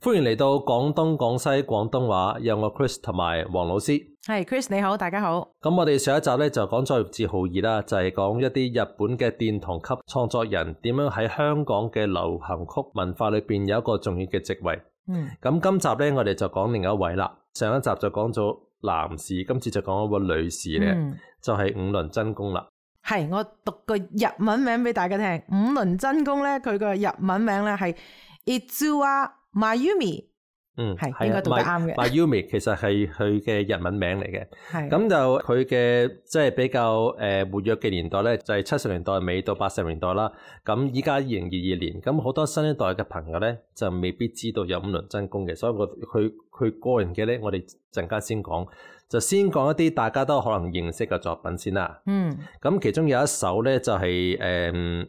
歡迎嚟到廣東廣西廣東話，有我 Chris 同埋黃老師。係 Chris 你好，大家好。咁我哋上一集咧就講咗自豪二啦，就係講一啲日本嘅殿堂級創作人點樣喺香港嘅流行曲文化裏邊有一個重要嘅席位。咁今集咧我哋就講另一位啦。上一集就講咗男士，今次就講一個女士咧，就係五輪真弓啦。係，我讀個日文名俾大家聽。五輪真弓咧，佢個日文名咧係 Itsuwa Mayumi。係應該讀得啱嘅。Mayumi 其實係佢嘅日文名嚟嘅。係咁就佢嘅即係比較活躍嘅年代咧，就係70年代尾到80年代啦。咁依家2022年，咁好多新一代嘅朋友咧就未必知道有五輪真弓嘅，所以佢個人嘅咧，我哋陣間先講，就先講一啲大家都可能認識嘅作品先啦。咁其中有一首咧就係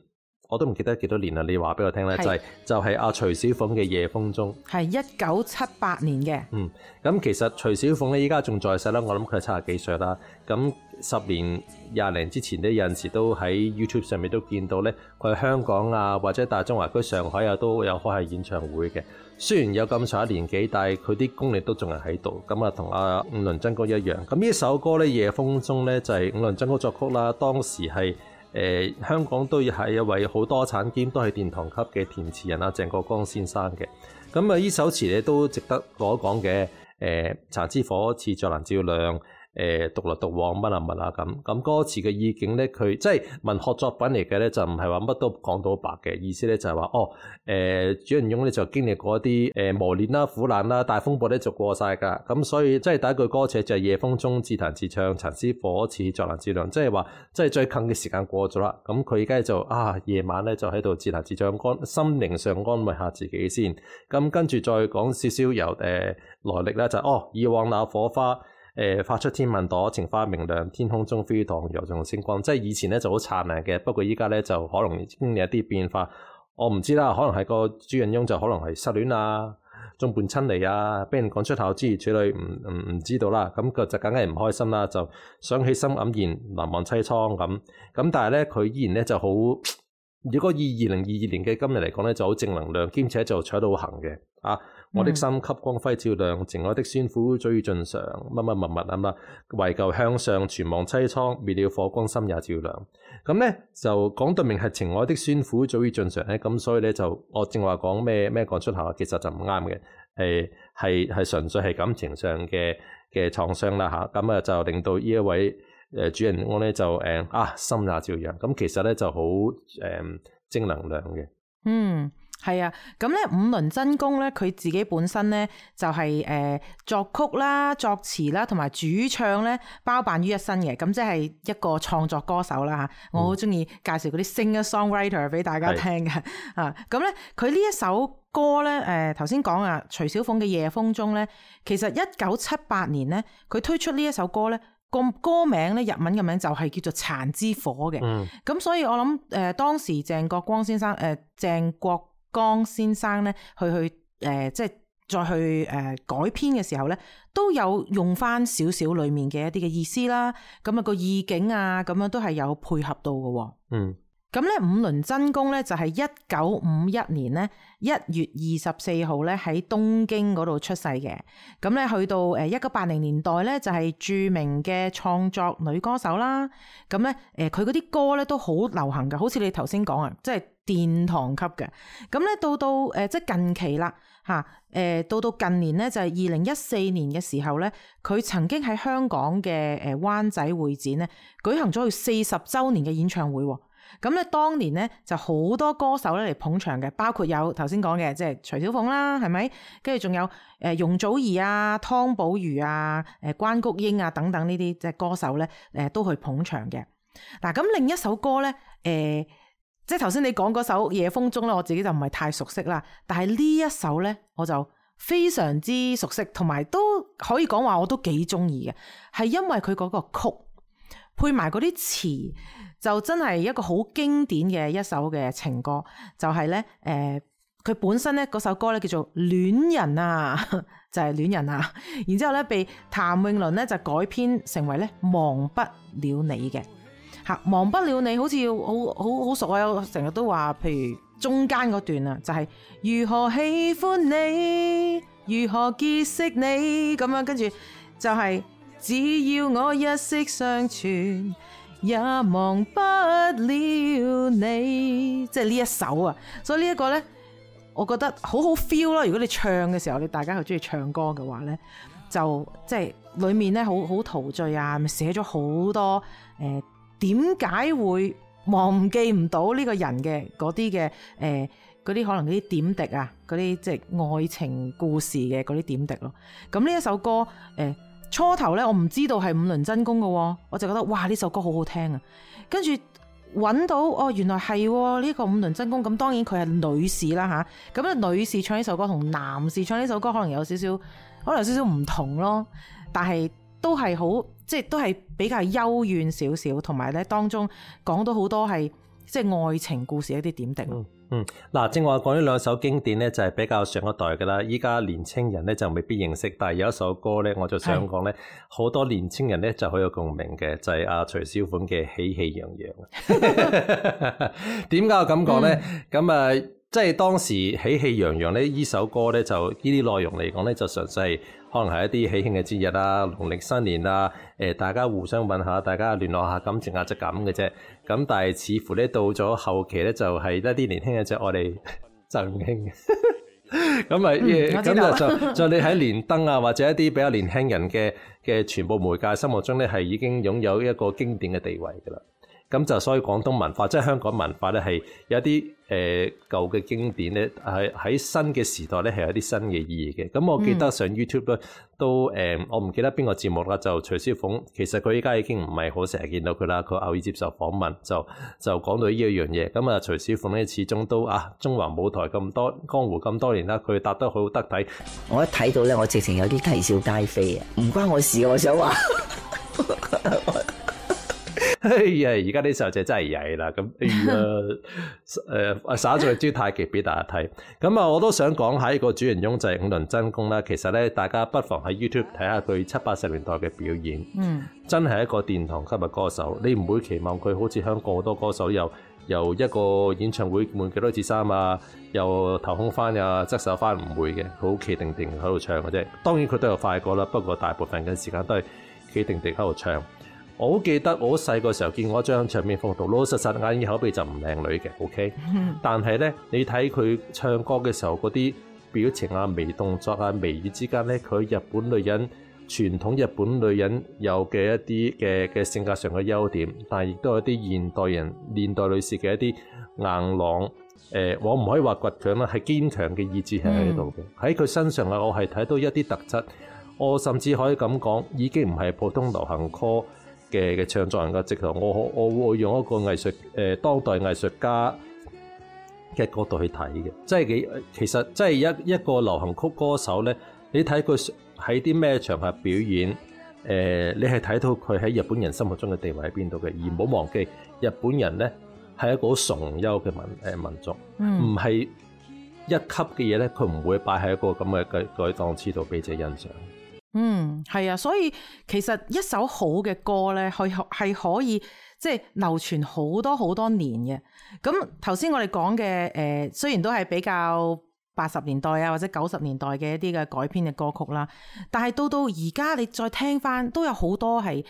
我都唔記得幾多年啦，你話俾我聽咧，就係阿徐小鳳嘅《夜風中》，係1978年嘅。咁其實徐小鳳咧依家仲在世啦，我諗佢係70幾歲啦。咁10年20年之前咧，有陣時都喺 YouTube 上面都見到咧，佢喺香港啊或者大中華區上海啊都有開係演唱會嘅。雖然有咁長一年紀，但係佢啲功力都仲係喺度。咁啊，同阿五輪真弓一樣。咁呢首歌咧《夜風中》咧就係五輪真弓作曲啦，當時係。香港都係一位好多產兼都係殿堂級嘅填詞人啊，鄭國江先生嘅。咁啊，呢首詞咧都值得講一講嘅。殘之火似着難照亮，獨來獨往乜啊乜啊咁。咁歌詞嘅意境咧，佢即係文學作品嚟嘅咧，就唔係話乜都講到白嘅意思咧，就係話主人翁咧就經歷過一啲磨練啦、苦難啦、大風暴咧就過晒㗎。咁所以即係第一句歌詞就係夜風中自彈自唱，殘之火似着難照亮，即係話即係最近嘅時間過咗啦。咁佢而家就夜晚咧就喺度自彈自唱，心靈上安慰下自己先。咁跟住再講少少由來歷啦，就以往那火花發出天萬朵，情花明亮，天空中飛蕩游動星光。即係以前咧就好燦爛嘅，不過依家咧就可能經歷一啲變化。我唔知啦，可能係個主人翁就可能係失戀啊、眾叛親離啊，俾人趕出校諸如此類，唔知道啦。咁佢就梗係唔開心啦，就想起心黯然，難忘凄愴咁。咁但係咧佢依然咧就好，如果以2022年嘅今日嚟講咧就好正能量，兼且就取到行嘅我的心給光輝照亮，情愛的酸苦早已盡嘗，乜乜乜乜啊，為求向上全忘淒愴，滅了火光心也照亮。咁咧就講到明係情愛的酸苦早已盡嘗咧，咁所以咧就我正話講咩講出口，其實就唔啱嘅，係純粹係感情上嘅創傷啦吓，咁就令到呢一位主人翁咧就心也照亮，咁其實咧就好正能量嘅。係啊，咁咧五輪真弓咧，佢自己本身咧就係作曲啦、作詞啦同埋主唱咧包辦於一身嘅，咁即係一個創作歌手啦吓。我好中意介紹嗰啲 singer-songwriter 俾大家聽嘅咁咧佢呢一首歌咧頭先講徐小鳳嘅《夜風中》咧，其實1978年咧佢推出呢一首歌咧。個歌名咧日文嘅名就係叫做殘之火嘅，咁所以我諗當時鄭國江先生咧去即係再去改編嘅時候咧，都有用翻少少裏面嘅一啲嘅意思啦，咁個意境啊咁樣都係有配合到嘅。咁咧五輪真弓咧就係1951年咧1月24號咧喺東京嗰度出世嘅。咁咧去到1980年代咧就係著名嘅創作女歌手啦。咁咧佢嗰啲歌咧都好流行嘅，好似你頭先講即係殿堂級嘅。咁咧到即係近期啦到近年咧就係2014年嘅時候咧，佢曾經喺香港嘅灣仔會展咧舉行咗佢40週年嘅演唱會。咁咧，當年咧就好多歌手咧嚟捧場嘅，包括有頭先講嘅即係徐小鳳啦，係咪？跟住仲有容祖兒啊、湯寶如啊、關菊英啊等等呢啲即係歌手咧都去捧場嘅。嗱，咁另一首歌咧即係頭先你講嗰首《夜風中》咧，我自己就唔係太熟悉啦。但係呢一首咧，我就非常之熟悉，同埋都可以講話我都幾中意嘅，係因為佢嗰個曲配埋嗰啲詞。就真係一個好經典嘅一首嘅情歌，就係咧佢本身咧嗰首歌咧叫做戀人啊，就係戀人啊，然之後咧被譚詠麟咧就改編成為咧忘不了你嘅。忘不了你好似好熟啊，我成日都話譬如中間嗰段啊，就係如何喜歡你，如何結識你咁樣，跟住就係只要我一息相存，也忘不了你，即係呢一首啊。所以呢一個呢，我覺得好好 feel 咯。如果你唱嘅時候，你大家又中意唱歌嘅話呢，就即係裏面呢好陶醉啊，咪寫咗好多點解會忘記唔到呢個人嘅嗰啲嘅嗰啲可能嗰啲點滴啊，嗰啲即係愛情故事嘅嗰啲點滴咯。咁呢一首歌初頭咧我唔知道係五輪真弓嘅，我就覺得哇呢首歌好好聽啊。跟住揾到哦，原來係呢個五輪真弓。咁當然佢係女士啦吓，咁啊女士唱呢首歌同男士唱呢首歌可能有少少唔同咯，但係都係好即係都係比較幽怨少少，同埋咧當中講到好多係即係愛情故事一啲點滴咯。嗱，正話講呢兩首經典咧，就係比較上一代噶啦。依家年青人咧就未必認識，但係有一首歌咧，我就想講咧，好多年青人咧就好有共鳴嘅，就係阿徐小鳳嘅《喜氣洋洋》。點解我咁講咧？咁即係當時喜氣洋洋咧，呢首歌咧就呢啲內容嚟講咧，就純粹可能係一啲喜慶嘅節日啊、農曆新年啊，大家互相問下，大家聯絡下感情啊，就咁嘅啫。咁但係似乎咧到咗後期咧，就係一啲年輕人就我哋贈興。咁就你喺連登啊，或者一啲比較年輕人嘅傳播媒介心目中咧，係已經擁有一個經典嘅地位㗎啦。咁就所以廣東文化即係香港文化咧，係有一啲舊嘅經典咧，喺新嘅時代咧係有啲新嘅意義嘅。咁我記得上 YouTube 咧都我唔記得邊個節目啦，就徐小鳳，其實佢依家已經唔係好成日見到佢啦，佢偶爾接受訪問就講到呢一樣嘢。咁啊，徐小鳳咧始終都中華舞台咁多江湖咁多年啦，佢搭得好得體。我一睇到咧，我直情有啲啼笑皆非啊！唔關我事，我想話。哎呀！而家啲細路仔真係曳啦，咁耍咗招太極俾大家睇。咁我都想講下一個主人翁就係五輪真弓啦。其實咧，大家不妨喺 YouTube 睇下佢70-80年代嘅表演，真係一個殿堂級嘅歌手。你唔會期望佢好似香港好多歌手由一個演唱會換幾多次衫啊，又頭空翻啊，側手翻，唔會嘅，佢好企定定喺度唱嘅啫。當然佢都有快歌啦，不過大部分嘅時間都係企定定喺度唱。我好記得我細個時候見過一張唱片封圖，老老實實眼耳口鼻就唔靚女嘅 ，OK？但係咧，你睇佢唱歌嘅時候嗰啲表情啊、微動作啊、眉宇之間咧，佢日本女人傳統日本女人有嘅一啲嘅性格上嘅優點，但係亦都有啲現代女士嘅一啲硬朗。我唔可以話倔強啦，係堅強嘅意志係喺度嘅。喺佢身上啊，我係睇到一啲特質。我甚至可以咁講，已經唔係普通流行歌嘅唱作人嘅直頭，我會用一個藝術當代藝術家嘅角度去睇嘅，即係其實即係一個流行曲歌手咧，你睇佢喺啲咩場合表演，你係睇到佢喺日本人心目中嘅地位喺邊度嘅，而唔好忘記日本人咧係一個好崇優嘅民族，唔係一級嘅嘢咧，佢唔會擺喺一個咁嘅檔次度俾者欣賞。係啊，所以其實一首好嘅歌咧，係可以即係流傳好多好多年嘅。咁頭先我哋講嘅雖然都係比較80年代啊或者90年代嘅一啲嘅改編嘅歌曲啦，但係到而家你再聽翻，都有好多係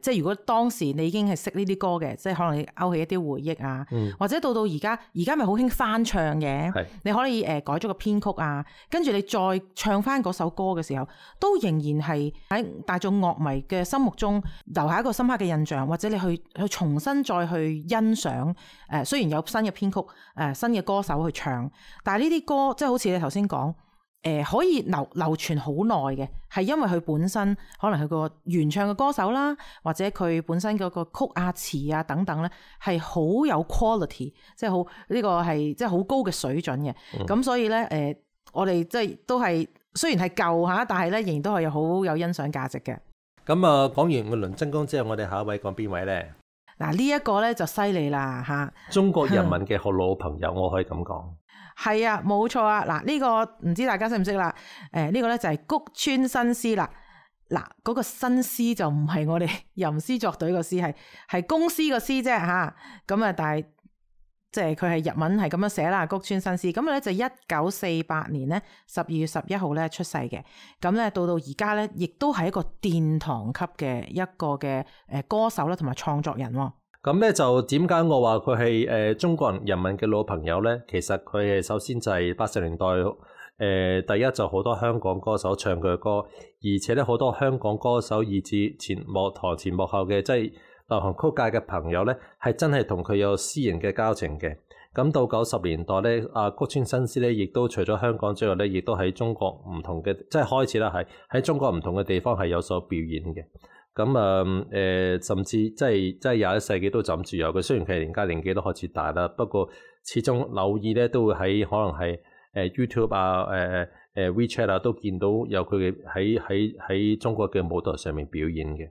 即係如果當時你已經係識呢啲歌嘅，即係可能你勾起一啲回憶啊，或者到而家咪好興翻唱嘅，你可以改咗個編曲啊，跟住你再唱翻嗰首歌嘅時候，都仍然係喺大眾樂迷嘅心目中留下一個深刻嘅印象，或者你去重新再去欣賞雖然有新嘅編曲新嘅歌手去唱，但係呢啲歌即係好似你頭先講可以流傳好耐嘅，係因為佢本身可能佢個原唱嘅歌手啦，或者佢本身嗰個曲啊詞啊等等咧，係好有 quality， 即係好呢個係即係好高嘅水準嘅。咁所以咧我哋即係都係雖然係舊吓，但係咧仍然都係好有欣賞價值嘅。咁啊，講完五輪真弓之後，我哋下一位講邊位咧？嗱，呢一個咧就犀利啦吓，中國人民嘅好老朋友，我可以咁講。係啊，冇錯啊！嗱，呢個唔知大家識唔識啦？呢個咧就係谷村新司啦。嗱，嗰個新司就唔係我哋吟詩作對個詩，係公司個司啫吓。咁啊，但係即係佢係日文係咁樣寫啦，谷川新司。咁咧就1948年咧12月11號咧出世嘅。咁咧到而家咧，亦都係一個殿堂級嘅一個嘅歌手啦，同埋創作人。咁咧就點解我話佢係中國人民嘅老朋友咧？其實佢係首先就係80年代第一就好多香港歌手唱佢嘅歌，而且咧好多香港歌手以至前幕後嘅即係流行曲界嘅朋友咧，係真係同佢有私人嘅交情嘅。咁到90年代咧，谷川新司咧，亦都除咗香港之外咧，亦都喺中國唔同嘅即係開始啦，係喺中國唔同嘅地方係有所表演嘅。咁甚至即係21世紀都枕住有嘅。雖然佢而家年紀都開始大啦，不過始終偶爾咧都會喺可能係YouTube 啊、WeChat 啊都見到有佢嘅喺中國嘅舞台上面表演嘅。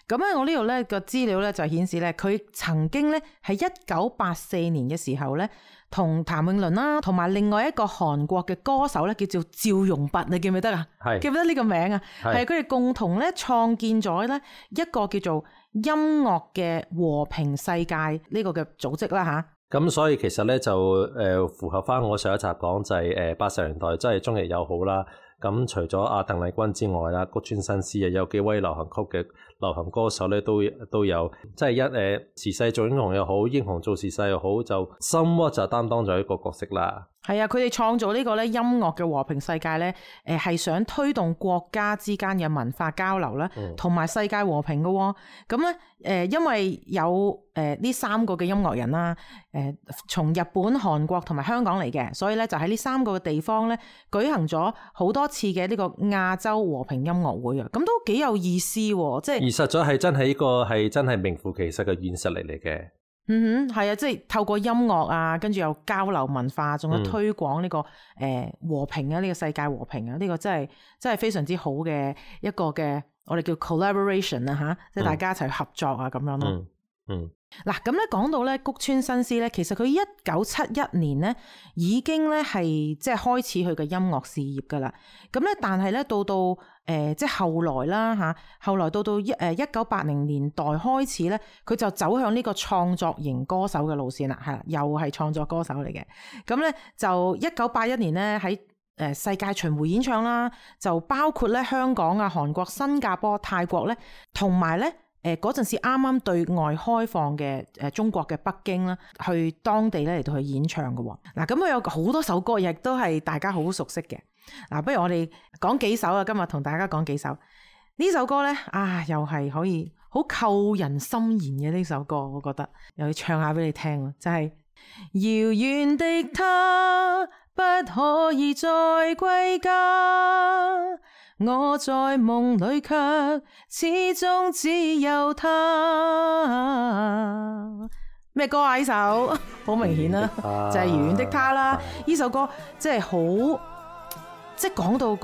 咁咧我呢度咧個資料咧就顯示咧，佢曾經咧喺1984年嘅時候咧，同譚詠麟啦，同埋另外一個韓國嘅歌手咧叫做趙容弼，你記唔記得啊？係記唔記得呢個名啊？係佢哋共同咧創建咗咧一個叫做音樂嘅和平世界呢個嘅組織啦吓。咁所以其實咧就符合翻我上一集講就係80年代真係中日友好啦。咁除咗阿鄧麗君之外啦，谷川新司啊，有幾位流行曲嘅流行歌手咧都有，即係時勢做英雄又好，英雄做時勢又好，就 somewhat 就擔當咗一個角色啦。係啊，佢哋創造呢個咧音樂嘅和平世界咧，係想推動國家之間嘅文化交流啦，同埋世界和平嘅喎。咁咧因為有呢3個嘅音樂人啦，從日本、韓國同埋香港嚟嘅，所以咧就喺呢3個嘅地方咧舉行咗好多次嘅呢個亞洲和平音樂會啊，咁都幾有意思喎！即係而實在係真係呢個係真係名副其實嘅軟實力嚟嘅。係啊，即係透過音樂啊，跟住又交流文化，仲有推廣呢個和平啊，呢個世界和平啊，呢個真係非常之好嘅一個嘅我哋叫 collaboration 啊吓，即係大家一齊合作啊咁樣咯。嗱，咁咧講到咧谷川新司咧，其實佢1971年咧已經咧係即係開始佢嘅音樂事業噶啦。咁咧，但係咧到即係後來啦吓，後來到1980年代開始咧，佢就走向呢個創作型歌手嘅路線啦，係啦，又係創作歌手嚟嘅。咁咧就1981年咧喺世界巡迴演唱啦，就包括咧香港啊、韓國、新加坡、泰國咧，同埋咧。嗰陣時啱啱對外開放嘅中國嘅北京啦，去當地咧嚟到去演唱嘅喎。嗱，咁佢有好多首歌，亦都係大家好熟悉嘅。嗱，不如我哋講幾首啊，今日同大家講幾首。呢首歌咧又係可以好扣人心弦嘅呢首歌，我覺得又要唱下俾你聽，就係遙遠的他不可以再歸家，我在夢裏卻始終只有他。咩歌啊？呢首好明顯啦，就係遙遠的他啦。呢首歌即係好，即係講到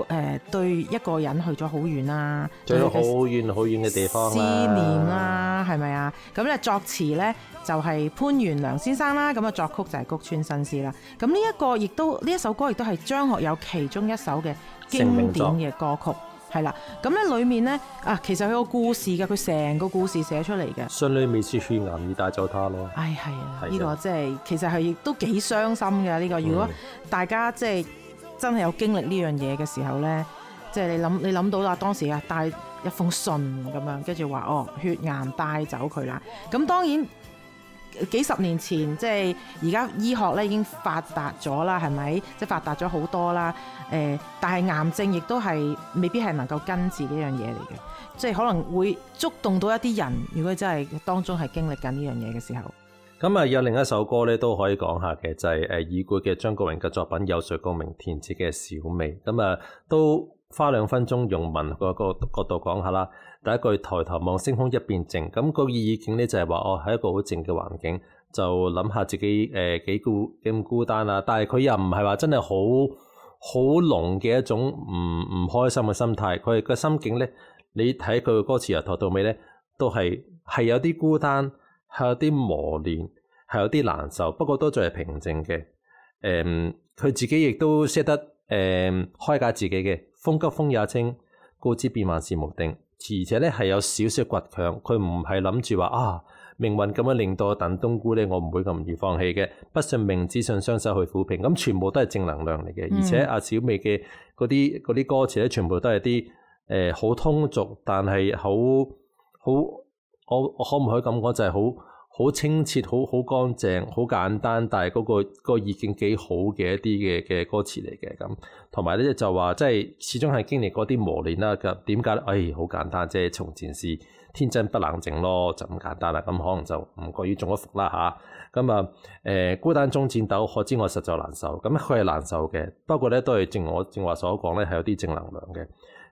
對一個人去咗好遠啦，去咗好遠好遠嘅地方啦，思念啦，係咪啊？咁咧作詞咧就係潘元良先生啦，咁啊作曲就係谷川新司啦。咁呢一首歌亦都係張學友其中一首嘅經典嘅歌曲，係啦。咁咧裏面咧其實佢個故事嘅，佢成個故事寫出嚟嘅。信裏面是血癌已帶走他咯。係啊，呢個即係其實係亦都幾傷心嘅呢個。如果大家即係真係有經歷呢樣嘢嘅時候咧，即係你諗到啦，當時帶一封信咁樣，跟住話血癌帶走佢啦。咁當然幾十年前，即係而家醫學咧已經發達咗啦，係咪？即係發達咗好多啦。但係癌症亦都係未必係能夠根治呢樣嘢嚟嘅，即係可能會觸動到一啲人，如果真係當中係經歷緊呢樣嘢嘅時候。咁有另一首歌咧都可以講下嘅，就係已故嘅張國榮嘅作品《有誰共鳴》填詞嘅小美。咁都花2分鐘用文個角度講下啦。第一句抬頭望星空一片靜，咁個意境咧就係話喺一個好靜嘅環境，就諗下自己幾咁孤單啊。但係佢又唔係話真係好濃嘅一種唔開心嘅心態。佢個心境咧，你睇佢嘅歌詞由頭到尾咧，都係有啲孤單，係有啲磨練，係有啲難受，不過都仲係平靜嘅。佢自己亦都識得開解自己嘅，風急風也清，故知變幻是無定。且咧係有少少倔強，佢唔係諗住話命運咁樣令到我燉冬菇咧，我唔會咁易放棄嘅。不信命，只信雙手去撫平。咁全部都係正能量嚟嘅，而且阿小美嘅嗰啲歌詞咧，全部都係啲好通俗，但係好我可唔可以咁講，就係好清澈、好乾淨、好簡單，但係嗰個意境幾好嘅一啲嘅歌詞嚟嘅咁。同埋咧就話，即係始終係經歷過啲磨練啦。咁點解咧？好簡單啫，從前是天真不冷靜咯，就咁簡單啦。咁可能就唔過於中咗伏啦嚇。咁孤單中戰鬥，可知我實在難受。咁佢係難受嘅，不過咧都係正我正話所講咧，係有啲正能量嘅。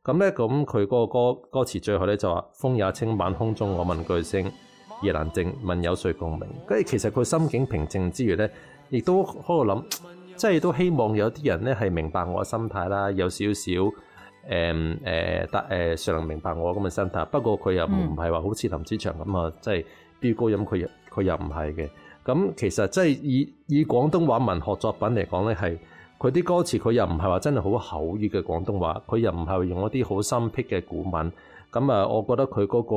咁咧咁佢嗰個歌詞最後咧就話：風也清，晚空中我問句聲，夜闌靜，問有誰共鳴？跟住其實佢心境平靜之餘咧，亦都喺度諗，即係都希望有啲人咧係明白我嘅心態啦，有少少尚能明白我咁嘅心態。不過佢又唔係話好似林子祥咁啊，即係飆高音，佢又唔係嘅。咁其實即係以廣東話文學作品嚟講咧，係佢啲歌詞佢又唔係話真係好口語嘅廣東話，佢又唔係用一啲好深僻嘅古文。咁我覺得佢嗰個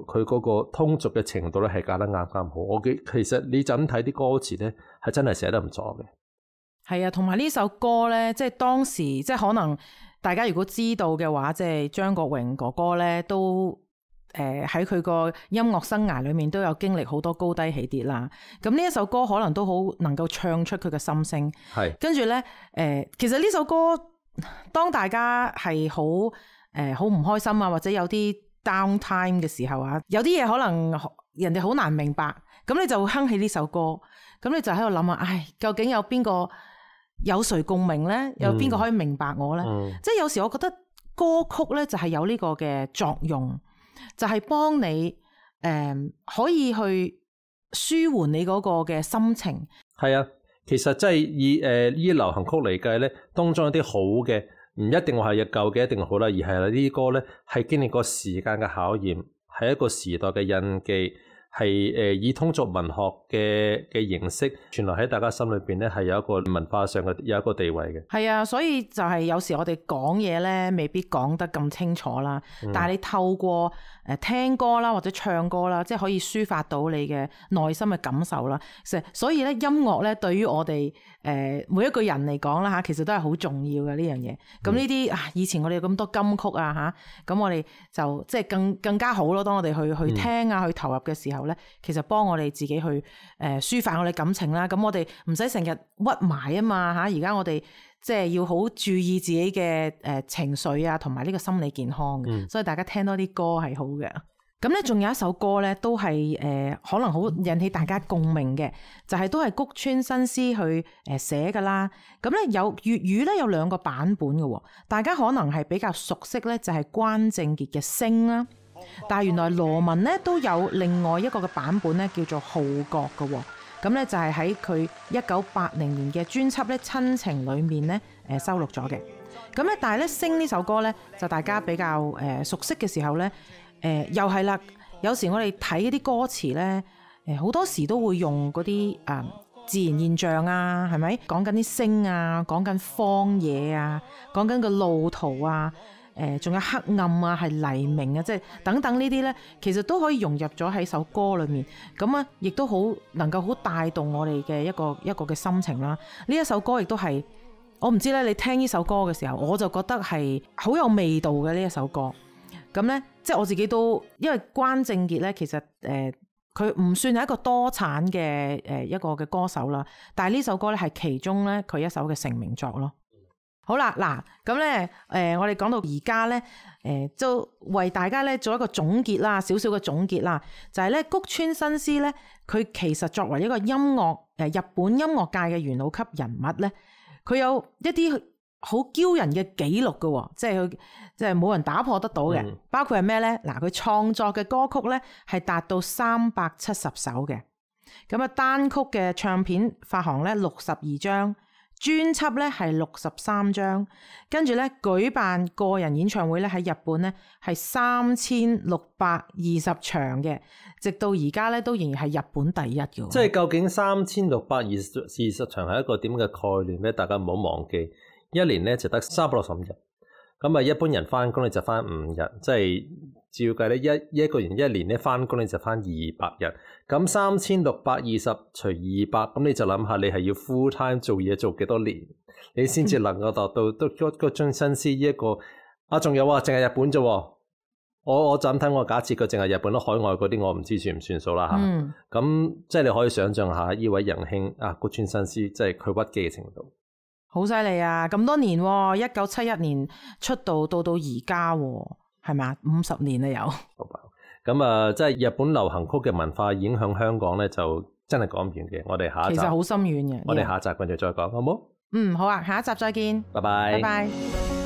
佢嗰個通俗嘅程度咧係教得啱好。其實你就咁睇啲歌詞咧，係真係寫得唔錯嘅。係啊，同埋呢首歌咧，即係當時即係可能大家如果知道嘅話，即係張國榮哥哥咧都喺佢個音樂生涯裏面都有經歷好多高低起跌啦。咁呢一首歌可能都好能夠唱出佢嘅心聲。係跟住咧其實呢首歌當大家係好唔開心啊，或者有啲 downtime 嘅時候啊，有啲嘢可能人哋好難明白，咁你就會哼起呢首歌，咁你就喺度諗啊，究竟有邊個有誰共鳴咧？有邊個可以明白我咧？即係有時我覺得歌曲咧就係有呢個嘅作用，就係幫你可以去舒緩你嗰個嘅心情。係啊，其實真係以呢啲流行曲嚟計咧，當中有啲好嘅。唔一定話係舊嘅一定好啦，而係呢啲歌咧係經歷過時間嘅考驗，係一個時代嘅印記，係以通俗文學嘅形式傳落喺大家心裏邊咧，係有一個文化上嘅有一個地位嘅。係啊，所以就係有時我哋講嘢咧，未必講得咁清楚啦。但係你透過聽歌啦，或者唱歌啦，即係可以抒發到你嘅內心嘅感受啦。所以咧，音樂咧對於我哋每一個人嚟講啦嚇，其實都係好重要嘅呢樣嘢。咁呢啲以前我哋有咁多金曲啊嚇，咁我哋就即係更加好咯。當我哋去聽啊，去投入嘅時候咧，其實幫我哋自己去抒發我哋感情啦。咁我哋唔使成日屈埋啊嘛嚇。而家我哋即係要好注意自己嘅情緒啊，同埋呢個心理健康嘅。所以大家聽多啲歌係好嘅。咁咧，仲有一首歌咧，都係可能好引起大家共鳴嘅，就係都係谷村新司去寫噶啦。咁咧有粵語咧有兩個版本嘅，大家可能係比較熟悉咧，就係關正傑嘅《星》啦。但係原來羅文咧都有另外一個嘅版本咧，叫做《號角》嘅。咁咧就係喺佢1980年嘅專輯咧《親情》裏面咧收錄咗嘅。咁咧但係咧《星》呢首歌咧就大家比較熟悉嘅時候咧。又係啦，有時我哋睇啲歌詞咧，好多時都會用嗰啲自然現象啊，係咪？講緊啲星啊，講緊荒野啊，講緊個路途啊，仲有黑暗啊，係黎明啊，即係等等呢啲咧，其實都可以融入咗喺首歌裏面，咁啊，亦都好能夠好帶動我哋嘅一個嘅心情啦。呢一首歌亦都係，我唔知咧，你聽呢首歌嘅時候，我就覺得係好有味道嘅呢一首歌。咁咧，即係我自己都，因為關正傑咧，其實佢唔算係一個多產嘅一個嘅歌手啦，但係呢首歌咧係其中咧佢一首嘅成名作咯。好啦，嗱咁咧我哋講到而家咧，就為大家咧做一個總結啦，少少嘅總結啦，就係咧谷村新司咧，佢其實作為一個音樂日本音樂界嘅元老級人物咧，佢有一啲好驕人嘅紀錄嘅，即係佢即係冇人打破得到嘅，包括係咩咧？嗱，佢創作嘅歌曲咧係達到370首嘅，咁啊單曲嘅唱片發行咧62張，專輯咧係63張，跟住咧舉辦個人演唱會咧喺日本咧係3620場嘅，直到而家咧都仍然係日本第一嘅。即係究竟3620場係一個點嘅概念咧？大家唔好忘記。一年咧就得365日，咁啊，一般人翻工咧就翻5日，即係照計咧一個人一年咧翻工咧就翻200日。咁3620除200，咁你就諗下你係要 full time 做嘢做幾多年，你先至能夠達到都個終身師呢一個。仲有啊，淨係日本啫。我就咁睇，我假設佢淨係日本咯，海外嗰啲我唔知算唔算數啦嚇。咁即係你可以想象下呢位仁兄谷川新司，即係佢屈機嘅程度。好犀利啊！咁多年，1971年出道到而家，係咪啊？50年啦有。咁啊，即係日本流行曲嘅文化影響香港咧，就真係講唔完嘅。我哋下一集其實好深遠嘅。我哋下一集繼續再講，好冇？好啊，下一集再見。拜拜。拜拜。